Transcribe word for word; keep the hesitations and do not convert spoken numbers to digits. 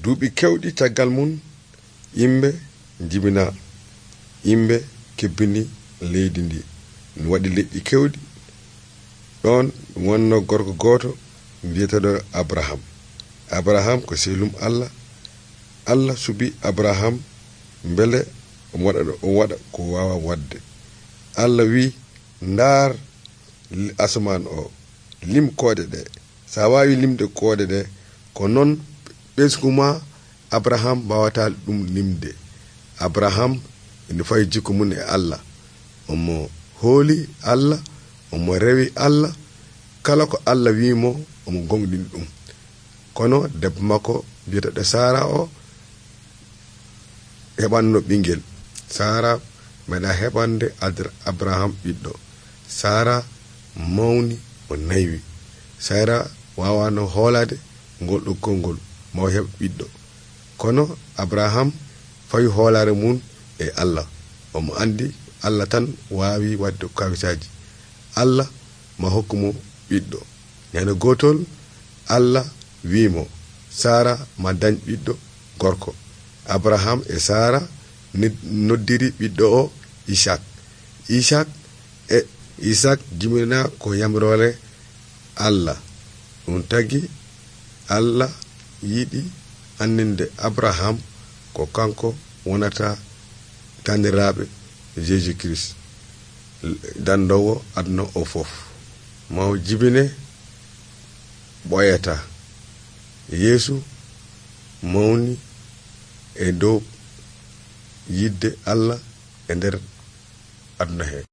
duuɓi kewɗi caggal mum yimɓe jibina, yimɓe kebbini leydi ndi, waɗi leƴƴi kewɗi. ɗon wonno gorko gooto biyeteɗo Abraham. Abraham ko sehlum Allah. Allah subi Abraham beele omo waɗa o waɗa ko wawa wadde. Allah wi ndaar asman o, lim koode ɗe. sa wawi limde koode ɗe ko non ɓesgu ma Abraham wawata ɗum limde. Abraham ene fayi jikku mum e Allah, omo hooli Allah, omo rewi Allah, kala ko Allah wimo omo gonɗini ɗum. kono debbo makko biyeteɗo Sara o heɓanno ɓingel. Sara meɗa heɓande Abraham ɓiɗɗo. Sara mawni o naywi. Sara wawano hoolade ngol ɗo konngol maw heɓ ɓiɗɗo. kono Abraham fawi hoolare mum e Allah. omo andi Allah tan wawi wadde kawisaji. Allah ma hokkumo ɓiɗɗo. ñande gotol Allah wimo Sara ma dañ ɓiɗɗo gorko. Abraham e Sara noddiri ɓiɗɗo o Isaac. Isaac e Isaac jimina ko yamrore Allah. ɗum tagi Allah yiɗi anninde Abraham ko kanko wonata taniraɓe Jésus Christ, dandowo aduna o fof. maw jibine ɓoyata Yeesu mawni e dow yidde Allah e nder aduna he.